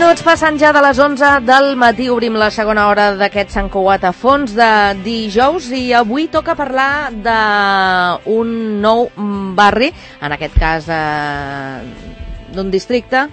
minuts passen ja de les 11 del matí. Obrim la segona hora d'aquest Sant Cugat a fons de dijous i avui toca parlar d'un nou barri, en aquest cas d'un districte,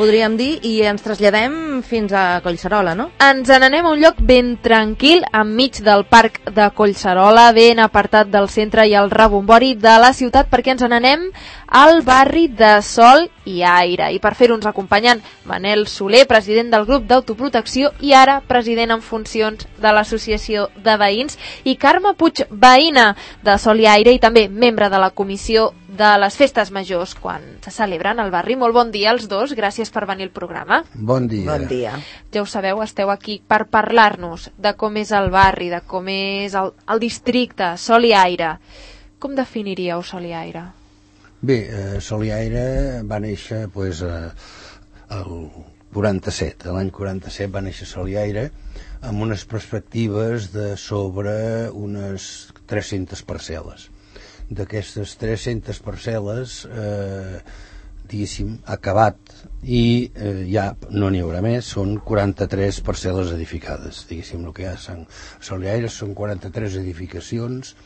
podríem dir, i ens traslladem fins a Collserola, no? Ens n'anem a un lloc ben tranquil, enmig del parc de Collserola, ben apartat del centre i el rebombori de la ciutat, perquè ens n'anem al barri de Sol i Aire. I per fer-ho ens acompanyen Manel Soler, president del grup d'autoprotecció i ara president en funcions de l'Associació de Veïns, i Carme Puig, veïna de Sol i Aire i també membre de la comissió de les festes majors quan se celebren al barri. Molt bon dia als dos, gràcies per venir al programa. Bon dia. Bon dia. Ja ho sabeu, esteu aquí per parlar-nos de com és el barri, de com és el districte, Sol i Aire. Com definiríeu Sol i Aire? Bé, Sol i Aire va néixer el 47, l'any 47 va néixer Sol i Aire amb unes perspectives de sobre unes 300 parcel·les. D'aquestes 300 parcel·les, diguéssim, acabat i ja no n'hi haurà més, són 43 parcel·les edificades, diguéssim, el que hi ha a Sol i Aire són 43 edificacions.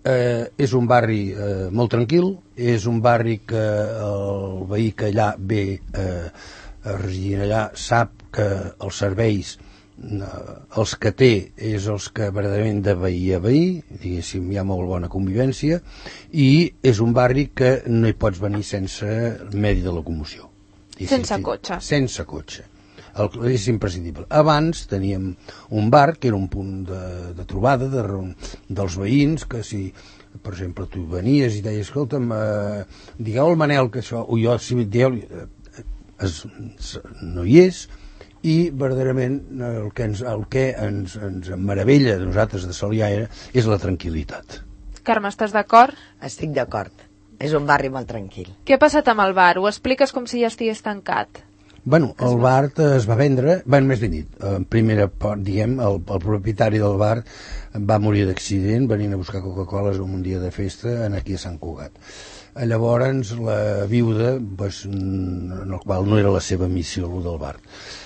És un barri molt tranquil, és un barri que el veí que allà ve a residir allà sap que els serveis, els que té, és els que verdaderament de veí a veí, diguéssim, hi ha molt bona convivència, i és un barri que no hi pots venir sense medi de locomoció. Sense cotxe. Sense cotxe. És imprescindible. Abans teníem un bar que era un punt de trobada dels veïns, que si, per exemple, tu venies i deies, escolta'm, digueu al Manel que això, o jo, si dieu, no hi és, i verdaderament el que ens meravella de nosaltres de Sol i Aire és la tranquil·litat. Carme, estàs d'acord? Estic d'acord. És un barri molt tranquil. Què ha passat amb el bar? Ho expliques com si ja estigués tancat. Bueno, el bar es va vendre, més ben dit, en primera part, diguem, el propietari del bar va morir d'accident venint a buscar Coca-Coles un dia de festa aquí a Sant Cugat. Llavors la viuda, en el qual no era la seva missió el del bar,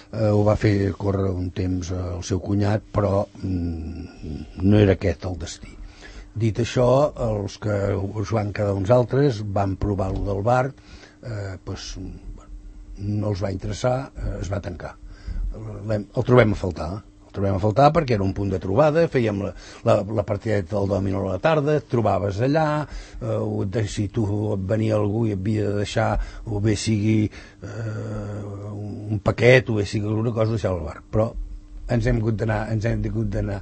ho va fer córrer un temps al seu cunyat, però no era aquest el destí. Dit això, els que us van quedar uns altres van provar el del bar, no els va interessar, es va tancar. El trobem a faltar perquè era un punt de trobada, fèiem la partideta del dòmino a la tarda, et trobaves allà, si tu venia algú i et havia de deixar, o bé sigui un paquet, o bé sigui alguna cosa, deixar al bar. Però ens hem hagut d'anar,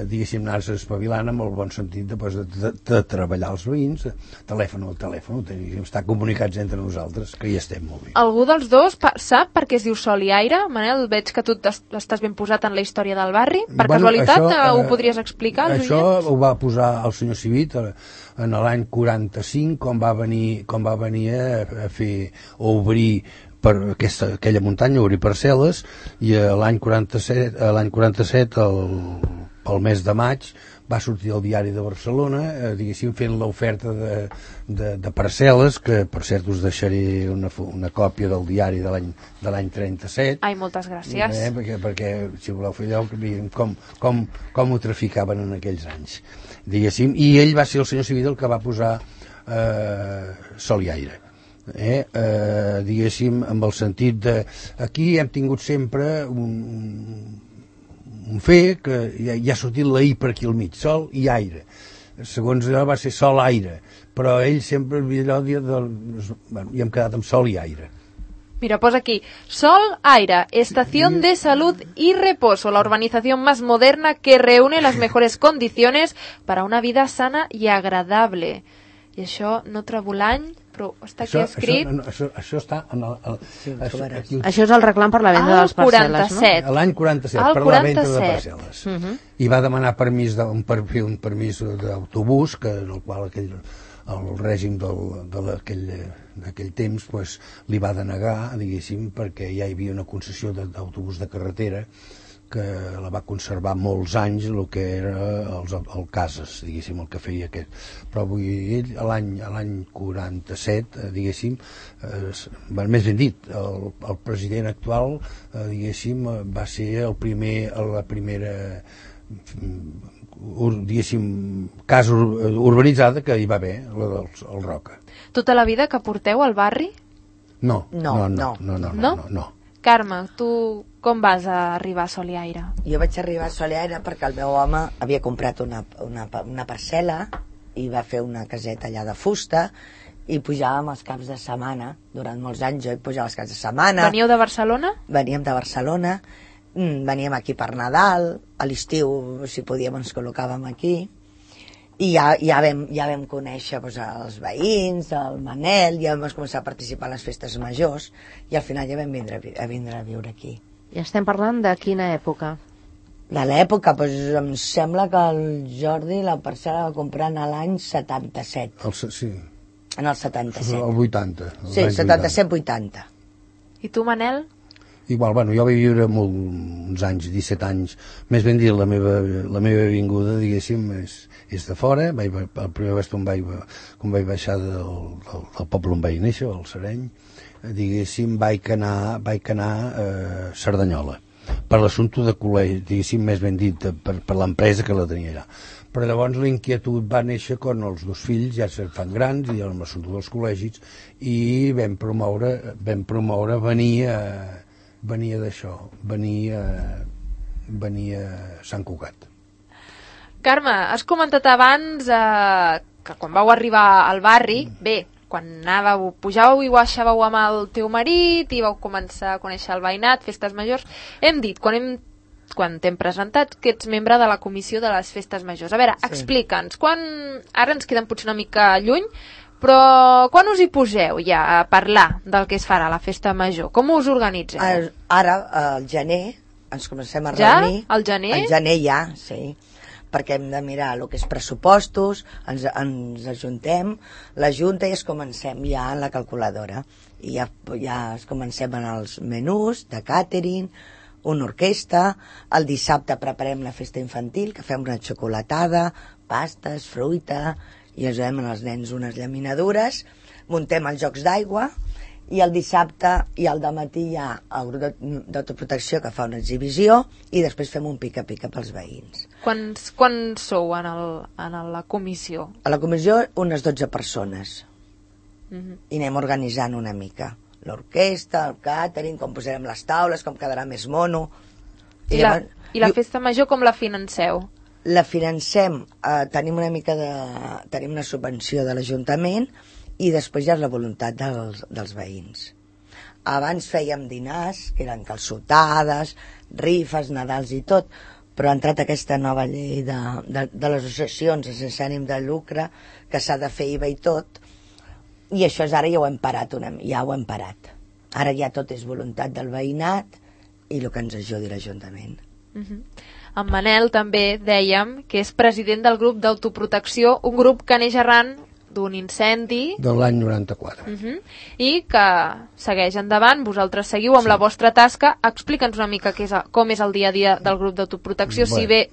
diguéssim, anar-se espavilant amb el bon sentit de treballar els veïns, telèfon al telèfon, estar comunicats entre nosaltres, que hi estem molt bé. Algú dels dos sap per què es diu Sol i Aire? Manel, veig que tu estàs ben posat en la història del barri. Per casualitat, ho podries explicar als això oients? Ho va posar el senyor Civit en l'any 45, quan va venir a fer, a obrir per aquella muntanya, obrir parcel·les, i l'any 47, el mes de maig, va sortir el diari de Barcelona, diguéssim, fent l'oferta de parcel·les, que per cert us deixaré una còpia del diari de l'any 37. Ai, moltes gràcies. Perquè si voleu fer allò, com ho traficaven en aquells anys, diguéssim, i ell va ser el senyor Civil el que va posar Sol i Aire. Diguéssim, amb el sentit de aquí hem tingut sempre un fe que ja ha sortit la I per aquí al mig, Sol i Aire. Segons allò va ser Sol Aire, però ell sempre allò i hem quedat amb Sol i Aire. Mira, posa aquí, Sol, Aire, estación de salud y reposo, la urbanización más moderna que reúne las mejores condiciones para una vida sana y agradable. I això no trobo l'any, però està aquí escrit... Això està en Això és el reclam per la venda de les parcel·les, no? L'any 47, per la venda de parcel·les. I va demanar permís per un permís d'autobús, en el qual el règim d'aquell temps li va denegar, diguéssim, perquè ja hi havia una concessió d'autobús de carretera que la va conservar molts anys el que era el Cases, diguéssim, el que feia aquest. Però ell, a l'any 47, diguéssim, més ben dit, el president actual, diguéssim, va ser la primera, diguéssim, casa urbanitzada que hi va haver, la del Roca. Tota la vida que porteu al barri? No. Carme, tu com vas arribar a Soliaire? Jo vaig arribar a Soliaire perquè el meu home havia comprat una parcel·la i va fer una caseta allà de fusta i pujàvem els caps de setmana. Durant molts anys jo hi pujava els caps de setmana. Veníeu de Barcelona? Veníem de Barcelona, veníem aquí per Nadal, a l'estiu, si podíem, ens col·locàvem aquí. I ja vam conèixer els veïns, el Manel, ja vam començar a participar a les festes majors i al final ja vam vindre a viure aquí. I estem parlant de quina època? De l'època, em sembla que el Jordi la parcel·la va comprar en l'any 77. Sí. En el 77. El 80. Sí, 77-80. I tu, Manel? Igual, jo vaig viure uns anys, 17 anys, més ben dit, la meva vinguda, diguéssim, és de fora. El primer lloc quan vaig baixar del poble on vaig néixer, el Sereny, diguéssim, vaig anar a Cerdanyola, per l'assumpte de col·legi, diguéssim, més ben dit, per l'empresa que la tenia allà. Però llavors l'inquietud va néixer quan els dos fills ja se fan grans i amb l'assumpte dels col·legis i vam promoure venir a Sant Cugat. Carme, has comentat abans que quan vau arribar al barri, quan pujàveu i baixàveu amb el teu marit i vau començar a conèixer el veïnat, festes majors, hem dit, quan t'hem presentat, que ets membre de la comissió de les festes majors. A veure, explica'ns, ara ens quedem potser una mica lluny, però quan us hi poseu ja a parlar del que es farà a la festa major? Com us organitzeu? Ara, al gener, ens comencem a reunir. Ja? Al gener? Al gener ja, sí. Perquè hem de mirar el que és pressupostos, ens ajuntem, la junta i comencem ja en la calculadora. I ja comencem en els menús de càtering, una orquestra, el dissabte preparem la festa infantil, que fem una xocolatada, pastes, fruita, i ajudem als nens unes llaminadures, muntem els jocs d'aigua, i el dissabte i al dematí hi ha el grup d'autoprotecció que fa una exhibició i després fem un pica-pica pels veïns. Quants sou en la comissió? A la comissió unes 12 persones. I anem organitzant una mica. L'orquestra, el càtering, com posarem les taules, com quedarà més mono. I la festa major com la financeu? La financem, tenim una subvenció de l'Ajuntament i després ja és la voluntat dels veïns. Abans fèiem dinars, que eren calçotades, rifes, nadals i tot, però ha entrat aquesta nova llei de les associacions sense ànim de lucre, que s'ha de fer IVA i tot, i això ara ja ho hem parat. Ara ja tot és voluntat del veïnat i el que ens ajudi l'Ajuntament. En Manel també dèiem que és president del grup d'autoprotecció, un grup que neix arran d'un incendi de l'any 94 i que segueix endavant. Vosaltres seguiu amb la vostra tasca. Explica'ns una mica com és el dia a dia del grup d'autoprotecció. Si bé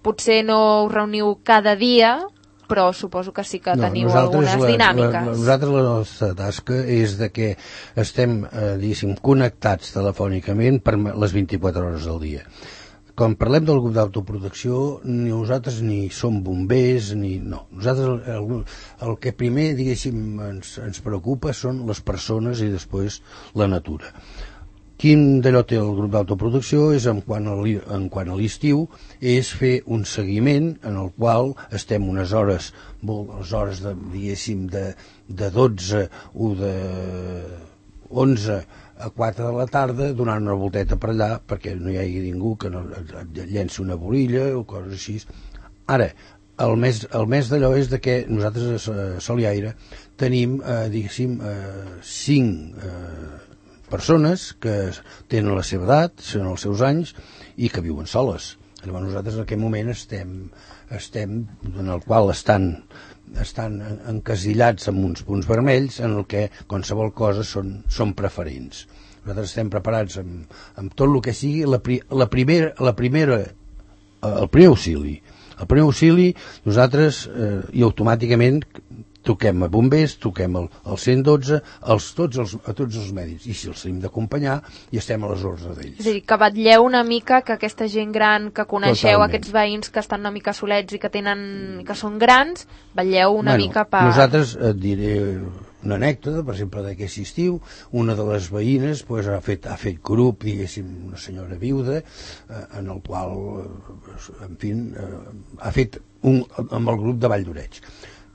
potser no us reuniu cada dia, però suposo que sí que teniu algunes dinàmiques. Nosaltres la nostra tasca és de que estem, diguéssim, connectats telefònicament per les 24 hores del dia. Quan parlem del grup d'autoprotecció, nosaltres ni som bombers, no. Nosaltres el que primer, diguéssim, ens preocupa són les persones i després la natura. Quin d'allò té el grup d'autoprotecció és en quant a l'estiu, és fer un seguiment en el qual estem unes hores, diguéssim, de 12 o de 11 a 4 de la tarda donant una volteta per allà perquè no hi hagi ningú que no et llenci una bolilla o coses així. Ara, el més d'allò és de que nosaltres a Soliaire tenim, diguéssim, 5 persones que tenen la seva edat, són els seus anys i que viuen soles. Llavors nosaltres en aquest moment estem en el qual estan encasillats amb uns punts vermells en el que qualsevol cosa són preferents. nosaltres estem preparats amb tot el que sigui el primer auxili. El primer auxili nosaltres i automàticament toquem a bombers, toquem al 112, a tots els mèdics, i si els hem d'acompanyar i estem a les ordres d'ells. És a dir, que vetlleu una mica que aquesta gent gran que coneixeu, Totalment. aquests veïns que estan una mica solets i que són grans, vetlleu una mica per... Nosaltres et diré una anècdota, per exemple, d'aquest estiu, una de les veïnes pues, ha fet grup, diguéssim, una senyora viuda, en el qual, en fi, ha fet amb el grup de Vall d'Oreig.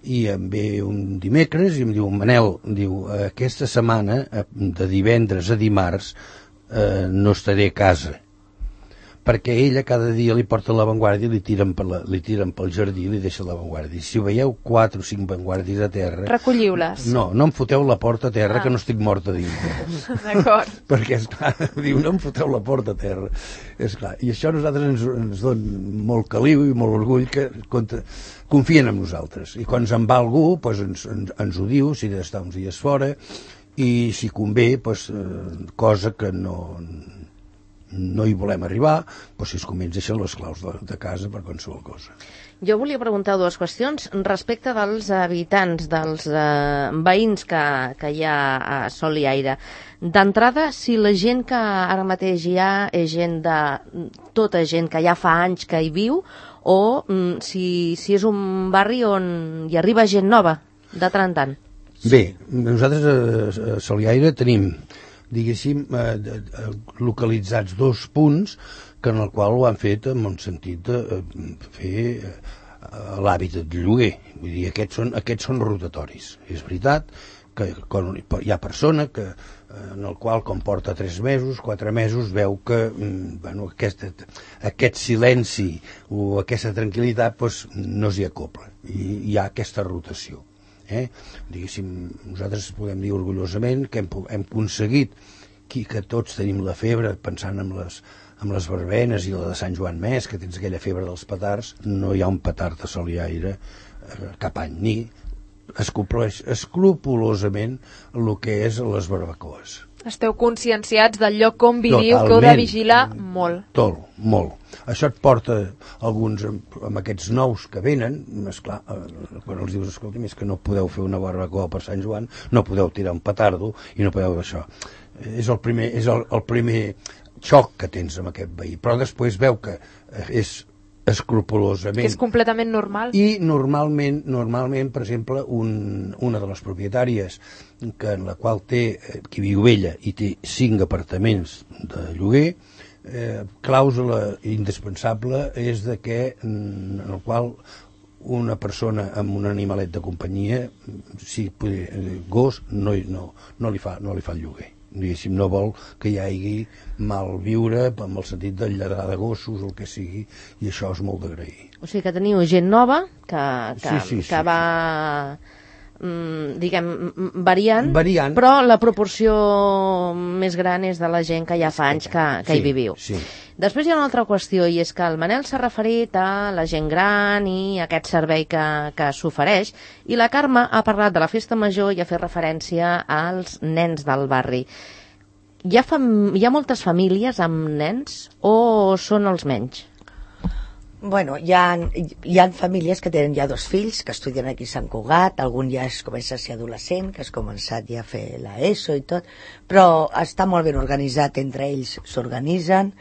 I em ve un dimecres i em diu, Manel, diu, aquesta setmana, de divendres a dimarts, no estaré a casa, perquè ella cada dia li porta l'avantguàrdia i li tiren pel jardí i li deixa l'avantguàrdia. I si veieu 4 o 5 avantguàrdies a terra... Recolliu-les. No em foteu la porta a terra, que no estic morta dintre. D'acord. Perquè, esclar, diu, no em foteu la porta a terra. Esclar, i això a nosaltres ens dona molt caliu i molt orgull que confien en nosaltres. I quan se'n va algú, doncs ens ho diu, si ha d'estar uns dies fora, i si convé, doncs, cosa que no hi volem arribar, doncs si es convé ens deixen les claus de casa per qualsevol cosa. Jo volia preguntar 2 qüestions respecte dels habitants, dels veïns que hi ha a Sol i Aire. D'entrada, si la gent que ara mateix hi ha és tota gent que ja fa anys que hi viu, o si és un barri on hi arriba gent nova, de tant en tant. Bé, nosaltres a Sol i Aire tenim, diguéssim, localitzats 2 punts en el qual ho han fet en un sentit de fer l'hàbitat de lloguer. Vull dir, aquests són rotatoris. És veritat que hi ha persona que en el qual, com porta 3 mesos, 4 mesos, veu que aquest silenci o aquesta tranquil·litat doncs, no s'hi acopla. I hi ha aquesta rotació. Diguéssim, nosaltres podem dir orgullosament que hem aconseguit que tots tenim la febre, pensant en les verbenes i la de Sant Joan Més, que tens aquella febre dels petards. No hi ha un petard a Sol i Aire cap any, ni es compleix escrupolosament el que és les barbacoes. Esteu conscienciats del lloc on viviu, que heu de vigilar molt. Molt. Això et porta alguns amb aquests nous que venen, esclar, quan els dius, escolta, és que no podeu fer una barbacoa per Sant Joan, no podeu tirar un petardo i no podeu això. És el primer xoc que tens amb aquest veí, però després veu que és escrupolosament... Que és completament normal. I normalment, per exemple, una de les propietàries en la qual qui viu ella i té 5 apartaments de lloguer, clàusula indispensable és de que en el qual una persona amb un animalet de companyia, si gos, no li fa el lloguer. Diguéssim, no vol que hi hagi mal viure amb el sentit de lladrar de gossos o el que sigui, i això és molt d'agrair. O sigui que teniu gent nova que va, diguem, variant, però la proporció més gran és de la gent que ja fa anys que hi viviu. Sí. Després hi ha una altra qüestió, i és que el Manel s'ha referit a la gent gran i a aquest servei que s'ofereix, i la Carme ha parlat de la festa major i ha fet referència als nens del barri. Hi ha moltes famílies amb nens o són els menys? Bueno, hi ha famílies que tenen ja 2 fills que estudien aquí a Sant Cugat, algun ja comença a ser adolescent, que has començat ja a fer l'ESO i tot, però està molt ben organitzat, entre ells s'organitzen,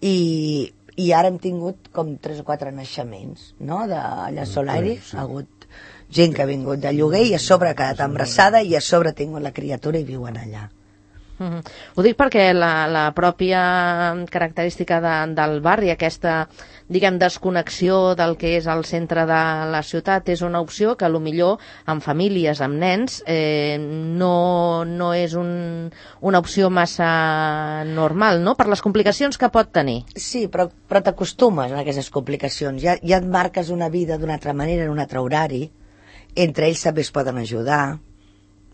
i ara hem tingut com 3 o 4 naixements, no?, d'allà a Sol i Aire. Ha hagut gent que ha vingut de lloguer i a sobre ha quedat embarassada i a sobre ha tingut la criatura i viuen allà. Ho dic perquè la pròpia característica del barri, aquesta, diguem, desconnexió del que és el centre de la ciutat, és una opció que millor amb famílies, amb nens, no és una opció massa normal, no?, per les complicacions que pot tenir. Sí, però t'acostumes a aquestes complicacions. Ja et marques una vida d'una altra manera, en un altre horari. Entre ells també es poden ajudar.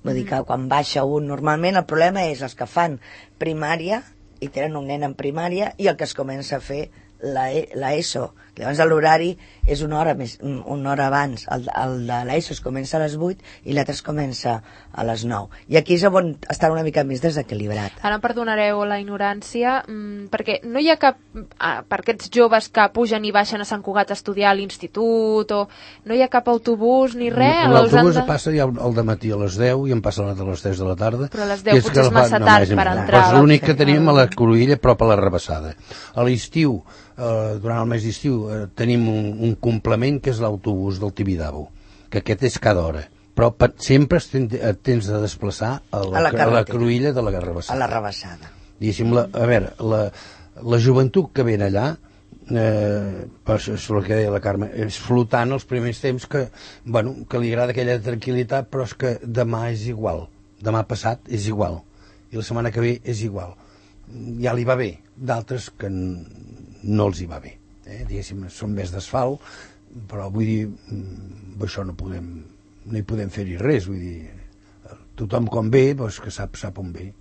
Vull dir que quan baixa un, normalment el problema és els que fan primària i tenen un nen en primària i el que es comença a fer l'ESO, llavors l'horari és una hora abans, el de l'ESO es comença a les 8 i l'altre es comença a les 9, i aquí és on està una mica més desequilibrat. Ara em perdonareu la ignorància, perquè no hi ha cap, per aquests joves que pugen i baixen a Sant Cugat a estudiar a l'institut, o no hi ha cap autobús ni res? L'autobús passa ja al dematí a les 10 i em passa a les 3 de la tarda. Però a les 10 potser és massa tard per entrar. És l'únic que tenim a la Cruïlla, prop a la Rabassada. A l'estiu, durant el mes d'estiu, tenim un complement que és l'autobús del Tibidabo, que aquest és cada hora, però sempre et tens de desplaçar a la Cruïlla de la Rabassada. A la Rabassada. Diguéssim, la joventut que ven allà, és el que deia la Carme, és flotant els primers temps, que li agrada aquella tranquil·litat, però és que demà és igual, demà passat és igual, i la setmana que ve és igual. Ja li va bé, d'altres que no els hi va bé, diguéssim, són més d'asfalt, però vull dir, això no hi podem fer-hi res, vull dir, tothom quan ve, que sap on ve.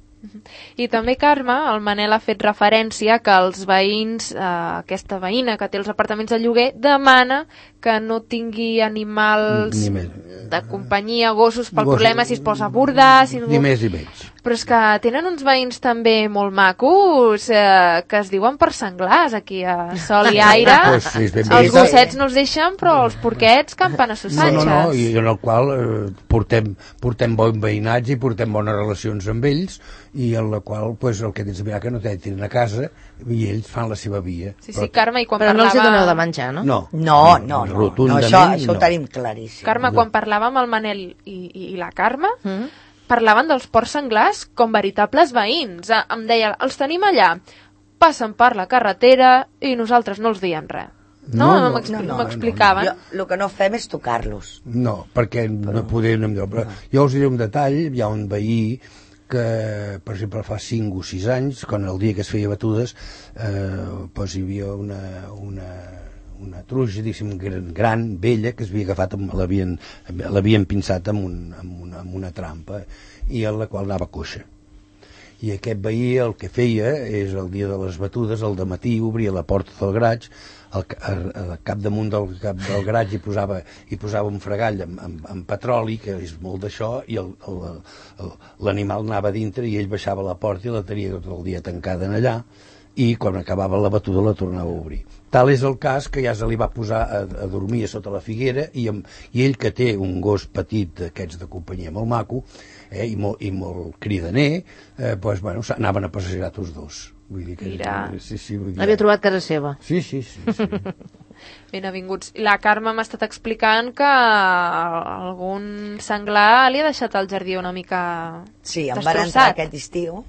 I també, Carme, el Manel ha fet referència que els veïns, aquesta veïna que té els apartaments de lloguer, demana que no tingui animals de companyia, gossos, pel problema si es posa a bordar... Ni més ni menys. Però és que tenen uns veïns també molt macos, que es diuen per senglars aquí a Sol i Aire. Els gossets no els deixen, però els porquets campen a Sussatges. No, i en el qual portem bon veïnatge i portem bones relacions amb ells, i en la qual el que tens de mirar que no tenen a casa i ells fan la seva via. Sí, Carme, i quan però parlava... no els hi doneu de menjar, no? No, això ho tenim claríssim. Carme, quan parlava amb el Manel i la Carme, parlaven dels porcs senglars com veritables veïns. Em deia, els tenim allà, passen per la carretera i nosaltres no els diem res. No, m'explicaven. El que no fem és tocar-los. No, perquè no podem... Jo us diré un detall, hi ha un veí que, per exemple, fa 5 o 6 anys, quan el dia que es feia batudes, hi havia una truja, diguéssim, gran, vella, que es havia agafat, l'havien pinçat amb una trampa, i en la qual anava coixa. I aquest veí el que feia és, el dia de les batudes, al dematí, obria la porta del garatge, al capdamunt del garatge hi posava un fregall amb petroli, que és molt d'això, i l'animal anava dintre i ell baixava la porta i la tenia tot el dia tancada en allà, i quan acabava la batuda la tornava a obrir. Tal és el cas que ja se li va posar a dormir a sota la figuera, i ell, que té un gos petit d'aquests de companyia molt maco, i molt cridaner, anaven a passejar tots dos. Vull dir que... Havia trobat casa seva. Sí. Benvinguts. La Carme m'ha estat explicant que algun senglar li ha deixat el jardí una mica destrossat. Sí, em van entrar aquest estiu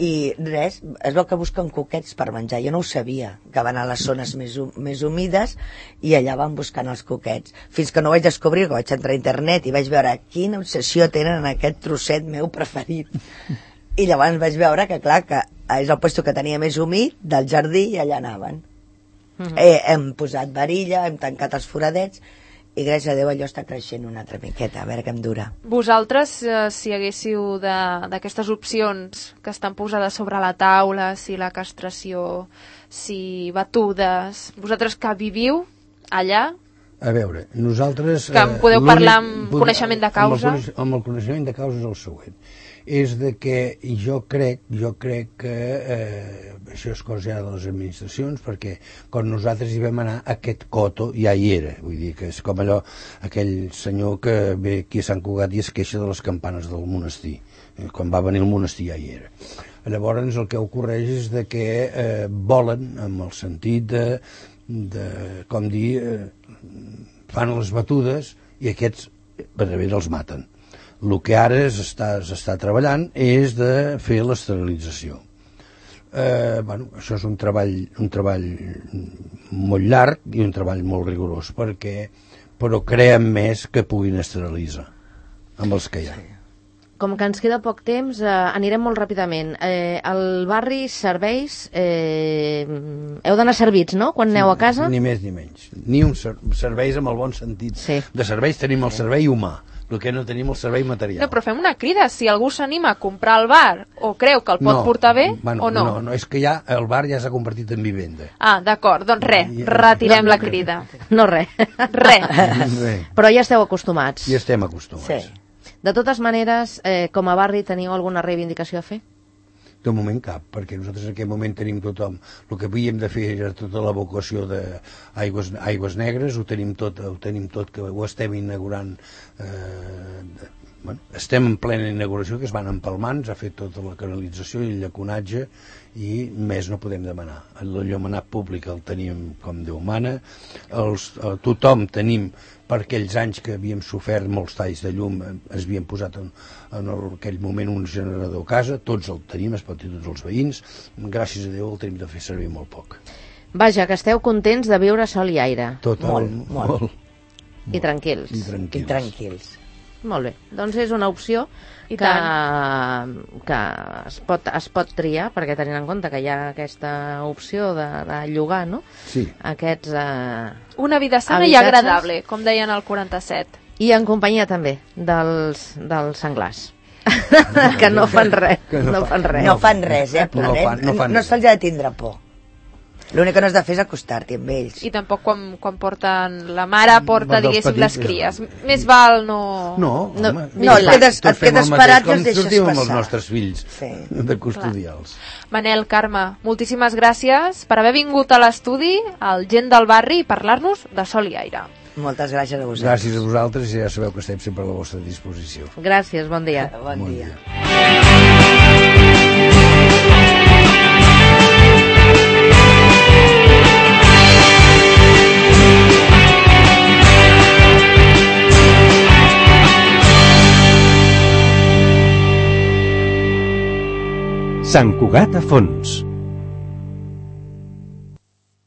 i res, es veu que busquen coquets per menjar. Jo no ho sabia, que van a les zones més humides i allà van buscant els coquets, fins que no vaig descobrir, que vaig entrar a internet i vaig veure quina obsessió tenen en aquest trosset meu preferit, i llavors vaig veure que clar, que és el lloc que tenia més humit del jardí i allà anaven. Hem posat varilla, hem tancat els foradets i gràcies a Déu allò està creixent una altra miqueta, a veure què em dura. Vosaltres, si haguéssiu d'aquestes opcions que estan posades sobre la taula, si la castració, si batudes, vosaltres que viviu allà... A veure, nosaltres... Que podeu parlar amb coneixement de causa? Amb el coneixement de causa és el següent. És de que jo crec que això és cosa ja de les administracions, perquè quan nosaltres hi vam anar, aquest coto ja hi era. Vull dir que és com allò, aquell senyor que ve aquí a Sant Cugat i es queixa de les campanes del monestir. Quan va venir el monestir ja hi era. Llavors el que ocorreix és de que volen, amb el sentit com dir, fan les batudes i aquests els maten. El que ara s'està treballant és de fer l'esterilització. Això és un treball molt llarg i un treball molt rigorós, però creem més que puguin esterilitzar amb els que hi ha. Com que ens queda poc temps, anirem molt ràpidament. Al barri, serveis, heu d'anar servits, no?, quan aneu a casa? Ni més ni menys. Ni un serveis amb el bon sentit. De serveis tenim el servei humà. el que no tenim el servei material. No, però fem una crida, si algú s'anima a comprar el bar o creu que el pot portar bé, o no? No, és que ja el bar ja s'ha convertit en vivenda. Ah, d'acord, doncs retirem la crida. No, res. Res. Però ja esteu acostumats. Ja estem acostumats. Sí. De totes maneres, com a barri teniu alguna reivindicació a fer? De moment cap, perquè nosaltres en aquest moment tenim tothom. El que havíem de fer era tota l'evacuació d'aigües negres, ho tenim tot, que ho estem inaugurant. Estem en plena inauguració, que es van empalmant, s'ha fet tota la canalització i el llaconatge, i més no podem demanar. El llomenat públic el tenim com Déu mana, tothom tenim, per aquells anys que havíem sofert molts talls de llum, es havien posat en aquell moment un generador a casa, tots el tenim, es pot dir tots els veïns, gràcies a Déu el tenim de fer servir molt poc. Vaja, que esteu contents de viure sol i aire. Molt. I tranquils. I tranquils. Molt bé, doncs és una opció que es pot triar, perquè tenint en compte que hi ha aquesta opció de llogar, no? Sí. Aquests una vida sana i agradable, com deien al 47. I en companyia també dels senglars. Que no fan res. No fan res, no se'ls ha de tindre por. L'únic que no has de fer és acostar-t'hi amb ells. I tampoc quan porten... La mare porta, diguéssim, les cries. Més val no... No, et quedes parat i els deixes sortim amb els passar. nostres fills de custodials. Manel, Carme, moltíssimes gràcies per haver vingut a l'estudi, al Gent del Barri, i parlar-nos de sol i aire. Moltes gràcies a vosaltres. Gràcies a vosaltres, i ja sabeu que estem sempre a la vostra disposició. Gràcies, bon dia. Bon dia. Sant Cugat a Fons.